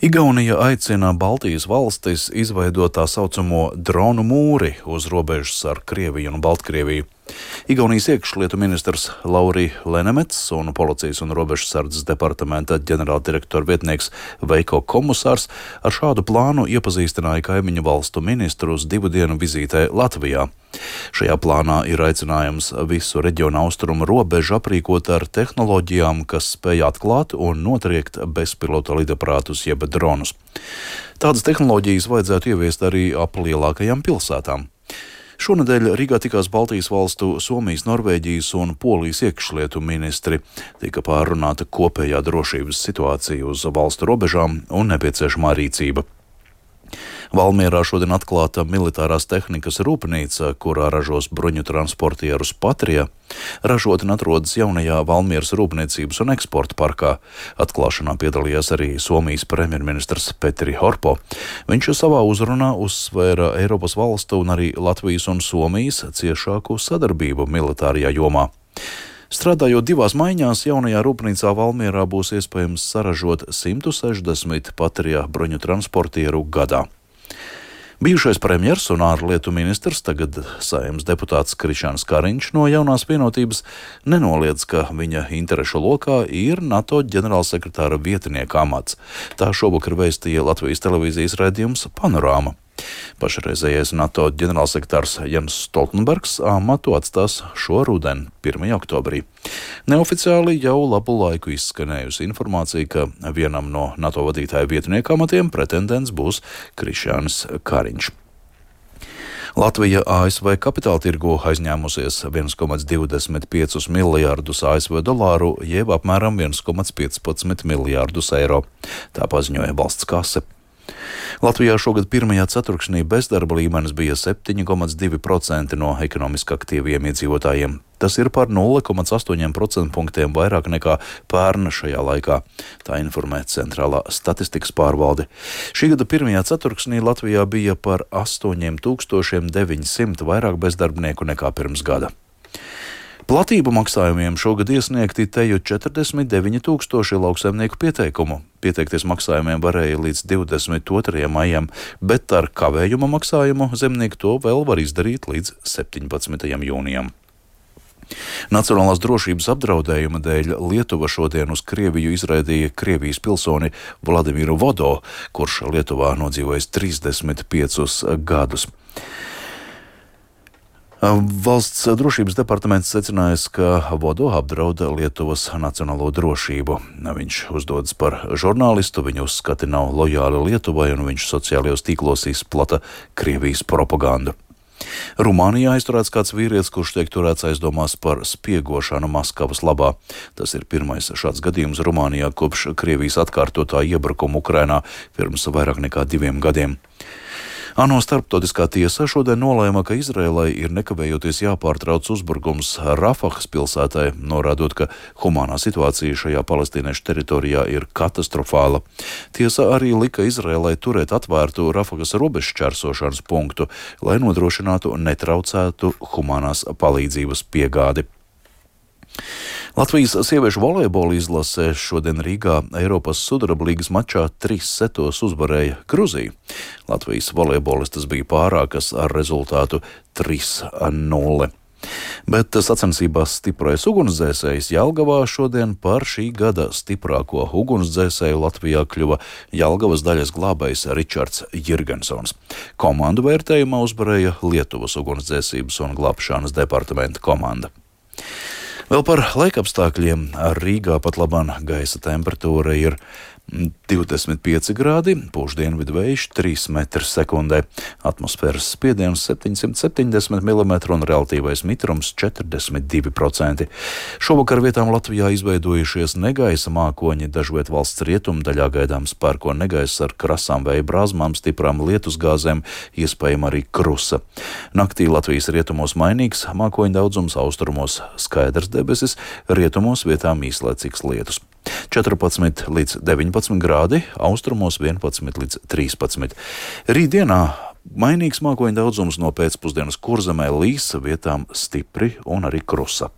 Igaunija aicina Baltijas valstis izveidot tā saucamo dronu mūri uz robežas ar Krieviju un Baltkrieviju. Igaunijas iekšlietu ministrs Lauri Lenemets un Policijas un robežsardzes departamenta ģenerāldirektora vietnieks Veiko Komusārs ar šādu plānu iepazīstināja kaimiņu valstu ministrus 2 dienu vizītē Latvijā. Šajā plānā ir aicinājums visu reģionu austrumu robežu aprīkot ar tehnoloģijām, kas spēj atklāt un notriekt bezpilota lidaparātus jeb dronus. Tādas tehnoloģijas vajadzētu ieviest arī ap lielākajām pilsētām. Šonedēļ Rīgā tikās Baltijas valstu, Somijas, Norvēģijas un Polijas iekšlietu ministri. Tika pārrunāta kopējā drošības situācija uz valstu robežām un nepieciešamā rīcība. Valmierā šodien atklāta militārās tehnikas rūpnīca, kurā ražos bruņu transportierus Patria. Ražotne atrodas jaunajā Valmieras rūpniecības un eksporta parkā. Atklāšanā piedalījās arī Somijas premjerministrs Petteri Orpo. Viņš savā uzrunā uzsvēra Eiropas valstu un arī Latvijas un Somijas ciešāku sadarbību militārajā jomā. Strādājot 2 maiņās, jaunajā rūpnīcā Valmierā būs iespējams saražot 160 Patria bruņu transportieru gadā. Bijušais premjers un ārlietu ministrs, tagad Saeimas deputāts Krišjāns Kariņš no Jaunās vienotības nenoliedz, ka viņa interešu lokā ir NATO ģenerālsekretāra vietnieka amats. Tā šovakar vēstīja Latvijas televīzijas raidījums Panorāma. Pašreizējais NATO ģenerālsekretārs Jens Stoltenbergs amatu atstās šo rudeni, 1. oktobrī. Neoficiāli jau labu laiku izskanējusi informācija, ka vienam no NATO vadītāja vietnieka amatiem pretendents būs Krišjānis Kariņš. Latvija ASV kapitāla tirgu aizņēmusies 1,25 miljārdus ASV dolāru, jeb apmēram 1,15 miljārdus eiro. Tā paziņoja valsts kase. Latvijā šogad 1. ceturksnī bezdarba līmenis bija 7,2% no ekonomiski aktīviem iedzīvotājiem. Tas ir par 0,8% punktiem vairāk nekā pērn šajā laikā, tā informē Centrālā statistikas pārvalde. Šī gada 1. ceturksnī Latvijā bija par 8900 vairāk bezdarbnieku nekā pirms gada. Platību maksājumiem šogad iesniegti teju 49 000 lauksaimnieku pieteikumu. Pieteikties maksājumiem varēja līdz 22. maijam, bet ar kavējuma maksājumu zemnieki to vēl var izdarīt līdz 17. jūnijam. Nacionālās drošības apdraudējuma dēļ Lietuva šodien uz Krieviju izraidīja Krievijas pilsoni Vladimiru Vodo, kurš Lietuvā nodzīvojis 35 gadus. Valsts drošības departaments secinājis, ka Vodo apdrauda Lietuvas nacionālo drošību. Viņš uzdodas par žurnālistu, viņa uzskati nav lojāli Lietuvai un viņš sociālajos tīklos izplata Krievijas propagandu. Rumānijā aizturēts kāds vīrietis, kurš tiek turēts aizdomās par spiegošanu Maskavas labā. Tas ir pirmais šāds gadījums Rumānijā kopš Krievijas atkārtotā iebrukuma Ukrainā pirms vairāk nekā 2 gadiem. ANO starptautiskā tiesa šodien nolēma, ka Izrēlai ir nekavējoties jāpārtrauc uzbrukums Rafahas pilsētai, norādot, ka humānā situācija šajā palestīniešu teritorijā ir katastrofāla. Tiesa arī lika Izrēlai turēt atvērtu Rafahas robežšķērsošanas punktu, lai nodrošinātu netraucētu humānās palīdzības piegādi. Latvijas sieviešu volejbola izlase šodien Rīgā Eiropas sudraba līgas mačā 3 setos uzvarēja Gruziju. Latvijas volejbolistas bija pārākas ar rezultātu 3-0. Bet sacensībās stiprais ugunsdzēsējs Jelgavā šodien par šī gada stiprāko ugunsdzēsēju Latvijā kļuva Jelgavas daļas glābējs Ričards Jirgensons. Komandu vērtējumā uzvarēja Lietuvas ugunsdzēsības un glābšanas departamenta komanda. Vēl par laikapstākļiem. Rīgā pat labāk gaisa temperatūra ir 25 grādi, pūš dienvidu vējš 3 metri sekundē, atmosfēras spiediens 770 mm un relatīvais mitrums 42%. Šovakar vietām Latvijā izveidojušies negaisa mākoņi, dažviet valsts rietumdaļā gaidāms pērko negaiss ar krasām vēja brāzmām, stiprām lietusgāzēm, iespējama arī krusa. Naktī Latvijas rietumos mainīgs mākoņu daudzums, austrumos skaidrs debesis, rietumos vietām īslaicīgs lietus. 14 līdz 19 grādi, austrumos 11 līdz 13. Rītdienā mainīgs mākoņu daudzums, no pēcpusdienas Kurzemē līs, vietām stipri un arī krusa.